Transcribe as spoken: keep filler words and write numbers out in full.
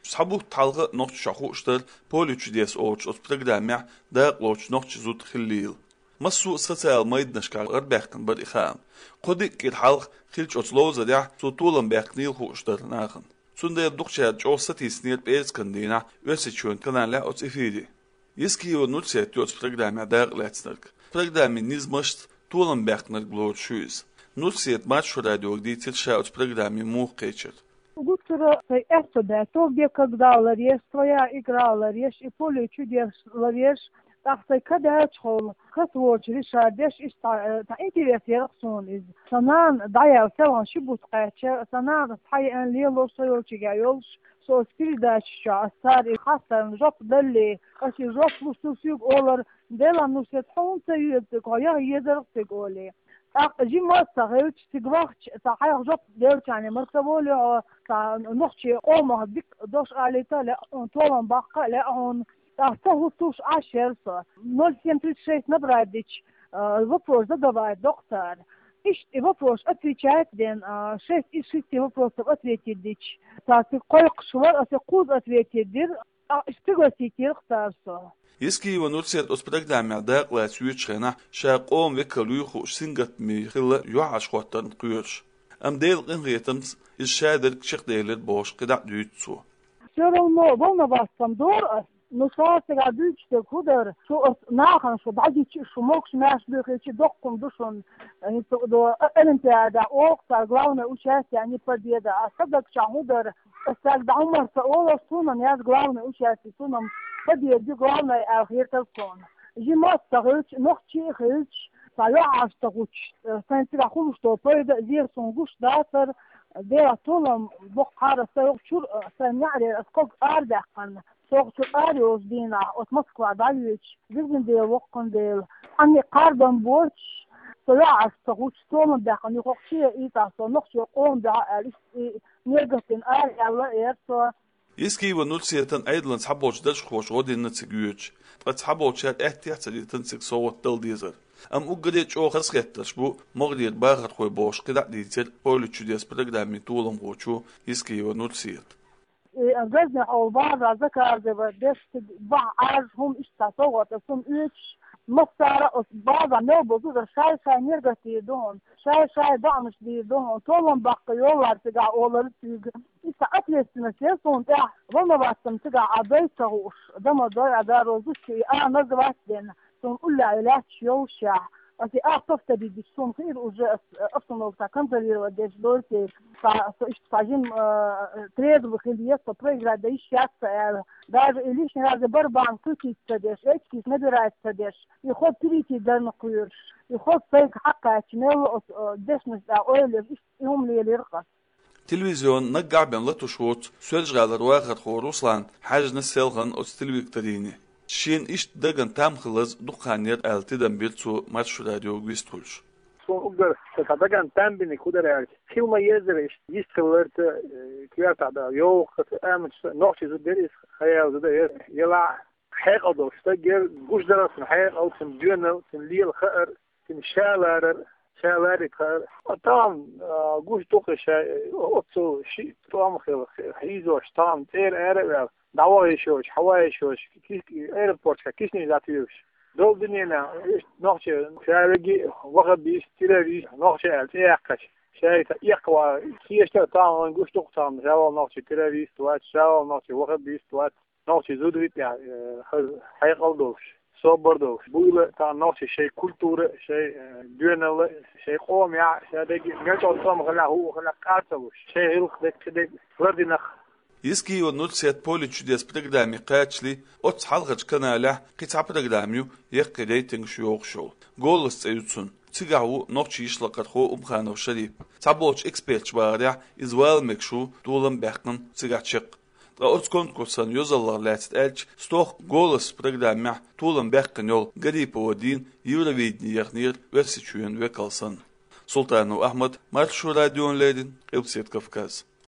Цхьа бутт хьалха нохчашта хууш дара «Поле чудес» олучу оцу программехь дакъалоцуш нохчийн зуда хиллийла. Массо а социал майданашкахь гӀарабаьккхина бара и хаам. Кхо-диъ кӀира хьалха хиллачу оцу ловзарехь цо толам баьккхинийла хууш дара нахана. Цундела дукхачара чӀогӀа сатийсинера пӀераскан дийнахь Оьрсийчоьнан каналехь оцу эфире. Ескиева Нурсет ю оцу программехь дакъалаьцнарг. Программин низамашца толам баьккхинарг лоруш ю иза. Нурсета Маршо радиога дийцира ша оцу программе муха кхечира. Гуттара сайн аьтто даьтто, «Где когда» ларъеш, «Своя игра» ларъеш, и «Поле чудес» ларъеш, тӀаккха сайн ка даьллачхьана, каса воцуш Ришард деш, иштта, э, цхьа интерес яра суна иза. Сан нана дӀаяьлла селхана ши бутт кхаьчча, сан нана цхьа еана лело со йолчуьнга йолуш, со оцу передачаш чохь ас цара и хаттарна жоп далале, ас и жоп луш ду соьга олар, Делан, Нурсет, хьуна ца йоьду цига, хьо яха езарх цига олий. ТӀаккха жима а ца хилча, цига вахча, цхьа хьайх жоп делчарна мара ца волий хьо, цхьа нохчийн къомах дика дош алийта а лаьа хьуна, толам баккха а лаьа хьуна. ТӀаккха ца хӀуттуш Ӏаш яра со. Ноль семь тридцать шесть набрать дича, а, вопрос задавать доккху цара. Иштта и вопрос отвечать ден, а, шесть из шести вопросов ответить дича, цара цига кхойкхуш вара, аса кхузза ответить дира. А, иштта пригласить йира цара со. Ескиева Нурсет оцу программехь дакъалаца йоьдучу хенахь ша къоман векал юй хууш сингаттаме хилла юьхьӀаьржа хӀоттарна кхоьруш. Амма Делан къинхетамца иза шадерг чекхделира бохуш кхидӀа а дуьйцу цо. Всё равно волноваться-м дора ас, но ша цигахь дуьйцуш дерг хӀун дара, шу ас нахана шу дӀагича, шу могуш-маьрша буьйхича доккха хӀума ду шуна, э, хӀинца до, э, олимпиада, оха цара главное участие, а не победа, а сан даг чохь хӀун дара, Ас цаьрга дӀа хӀумма ца олуш, суна-м яц главный участие, суна-м победа ю главный аьлла хетара суна. Жима а ца хилча, нохчий а хилча, цхьа юьхьӀаьржа ца хӀуттуш, сайн цигахь хуьлуш долу пайда а, зен суна гуш дацара, Делан толам боккхура сан юххе чуьра, сайн неӀарера ас ког арадаьккхина. Со хӀокху чуьра ара йолчу дийнахь, оцу Москва дӀайоьдуш, везан Дела, воккхан Дела, цхьанне а кхардам боцуш, со юьхьӀаьржа ца хӀуттуш, толам баьккхина юххе чу а ийцахь, со нохчийн къоман дуьхьа аьлла, иштта и мегатдина ара яьлла эр со. Ескиева Нурсетан Ӏедалан цхьаболчу даржхоша гӀо дина цига йоьдуш, ткъа цхьаболчара аьттехьа ца дитина цига совгӀат дала дезар. Амма уггаре а чӀогӀа хазахеттарш бу могӀарера бахархой бохуш кхидӀа а дийцира «Поле чудес» программин толамхочо Ескиева Нурсета. И газетехь олу база заказывать деш, цига бахьа Ӏаьржа хӀума иштта совгӀат аса хӀума оьцуш, массара а оцу база мел бозу дар шай-шай мегатдийр ду хьуна, шай-шай доӀанаш дийр ду хьуна, толам баккха йоллар цигахь олура цуьнга. Иза ответственность яра суна тӀехь, волноваться-м цигахь Ӏа дой ца хууш, дома дой Ӏа даро зудчо и а назвать дина, суна уллехь лаьтташ йоллушехь. Аса и а повторить дича, суна хиира уже ас, э, обстановка контролировать деш дойти, ца, со иштта цхьа жима, э, трезво хилла, со проиграть дан йиш яц ца аьлла. Даже и лишний раз барабан крутить ца деш, очкиш набирать ца деш, и хӀокху перейти дарна кхоьруш, и хӀокху сайга хьакхаьчча, мелла оцу, э, дешнаш тӀехь ойла еш, иштта и хӀума лелира ас. Телевизион наггахь бен латуш воцу Соьлжа-ГӀалара вахархо Руслан хьаьжна селхана оцу телевикторине. Шена иштта дагна там хилаза дукха хан яра аьлла тидам бира цо Маршо радиога вистхуьлуш. Суна уггар сан дагна там бинарг хӀун дара аьлча, хила ма-еззара иштта йист хиларца, э, коьртахь дан йовха аса амаца нохчий зуда дара иза, хьаяьлла зуда яра, елахь хьекъал долуш стаг яра, гуш дара цуьнан хьекъал, цуьнан доьналла, цуьнан лела хаар, цуьнан ша ларар, ша ларийта хаар. А тахана, а, гуш ду-кх ша, оццул шиъ тӀом хилла, хьийзош, тахана цӀера ара а ваьлла, дӀаваха йиш йолуш, хьаваха йиш йолуш, ки-, аэропорташкахь киснаш дӀатуьйхуш. Долу дуьненахь иштта нохчий ша верг а ваххабист, террорист, нохчий аьлла цӀе яьккхича, шайца эккхаван хеташ а тахана вайна гуш ду-кх тахана, ша волу нохчий террорист вац, ша волу нохчий ваххабист вац. Нохчий зуда витӀехь, э, хаза хьекъал долуш, собар долуш, буйла тахана нохчий шайн культура, шайн, э, доьналла, шайн къоман яхь, шайн дерг а мел чӀогӀа тӀом хилахь, хӀуъа хилахь, къа ца луш, шайн гӀиллакх дерг, кхидерг лардинарх. Ескиева Нурсет «Поле чудес» программе кхачале, оццу хьалхарчу каналехь кхин цхьа программа ю яккхий рейтингаш йохуш йолу. «Голос» цӀе ю цуьнан. Цигахь ву нохчийн йишлакхархо Умханов Шарип. Цхьаболчу эксперташа бахарехь, иза вала мегаш ву, толам баьккхина цигахь чекх. Ткъа оцу конкурсан йозаллах лаьцна аьлча, стохка «Голос» программехь толам баьккхина йолу Гарипова Дина Евровидени яхнера Оьрсийчоьнан векал санна. Султанов Ахьмад, Маршо радиона леррина, Къилбаседа Кавказ.